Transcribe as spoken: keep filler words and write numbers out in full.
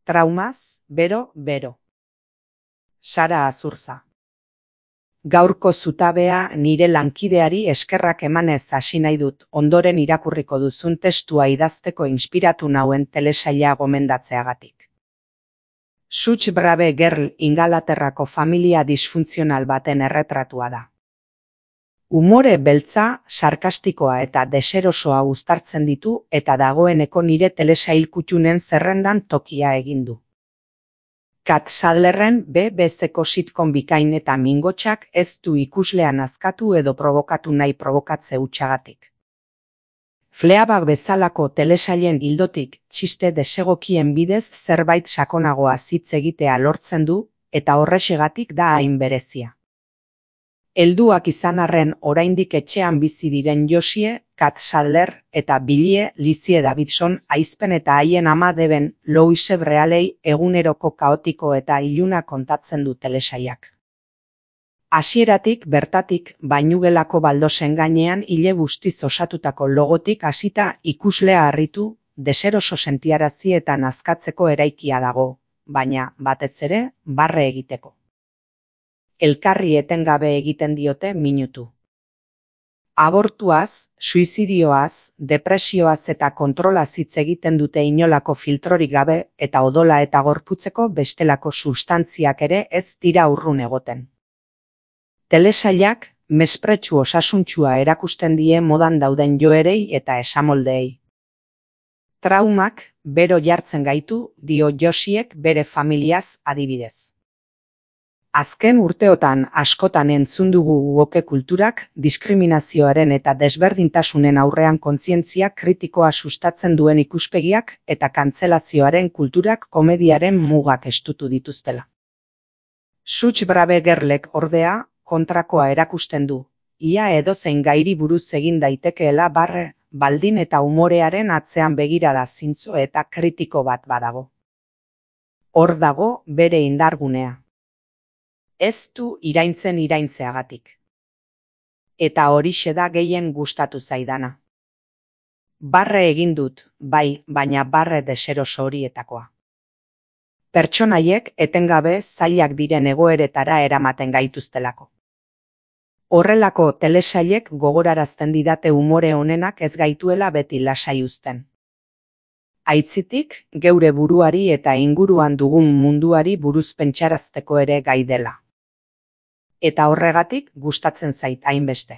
Traumaz, bero, bero. Sara Azurza. Gaurko zutabea nire lankideari eskerrak emanez hasi nahi dut, ondoren irakurriko duzun testua idazteko inspiratu nauen telesaila gomendatzeagatik. Such Brave Girl Ingalaterrako familia disfuntzional baten erretratua da. Umore beltza, sarkastikoa eta deserosoa uztartzen ditu eta dagoeneko nire telesail kuttunen zerrendan tokia egin du. Kat Sadlerren B B C-ko sitcom bikain eta mingotsak ez du ikuslea nazkatu edo provokatu nahi provokatze hutsagatik. Fleabag bezalako telesailen ildotik txiste desegokien bidez zerbait sakonagoa hitz egitea lortzen du eta horrexegatik da hain berezia. Helduak izan arren oraindik etxean bizi diren Josie, Kat Sadler eta Billie Lizzie Davidson aizpen eta haien ama deben Louise Brealey eguneroko kaotiko eta iluna kontatzen du telesailak. Hasieratik bertatik bainugelako baldosen gainean ile bustiz osatutako logotik hasita ikuslea harritu, deseroso sentiarazi eta nazkatzeko eraikia dago, baina batez ere barre egiteko. Elkarri etengabe egiten diote minutu. Abortuaz, suizidioaz, depresioaz eta kontrolaz hitz egiten dute inolako filtrorik gabe eta odola eta gorputzeko bestelako substantziak ere ez dira urrun egoten. Telesailak mespretxu osasuntsua erakusten die modan dauden joerei eta esamoldeei. Traumak bero jartzen gaitu, dio Josiek bere familiaz adibidez. Azken urteotan askotan entzun dugu woke kulturak diskriminazioaren eta desberdintasunen aurrean kontzientzia kritikoa sustatzen duen ikuspegiak eta kantzelazioaren kulturak komediaren mugak estutu dituztela. Such Brave Girlek ordea kontrakoa erakusten du, ia edozein gairi buruz egin daitekeela barre, baldin eta umorearen atzean begirada zintzo eta kritiko bat badago. Hor dago bere indargunea. Ez du iraintzen iraintzeagatik. Eta horixe da gehien gustatu zaidana. Barre egin dut, bai, baina barre deseroso horietakoa. Pertsonaiek etengabe zailak diren egoeretara eramaten gaituztelako. Horrelako telesailek gogorarazten didate umore honenak ez gaituela beti lasai uzten. Aitzitik, geure buruari eta inguruan dugun munduari buruz pentsarazteko ere gai dela. Eta horregatik gustatzen zait hainbeste.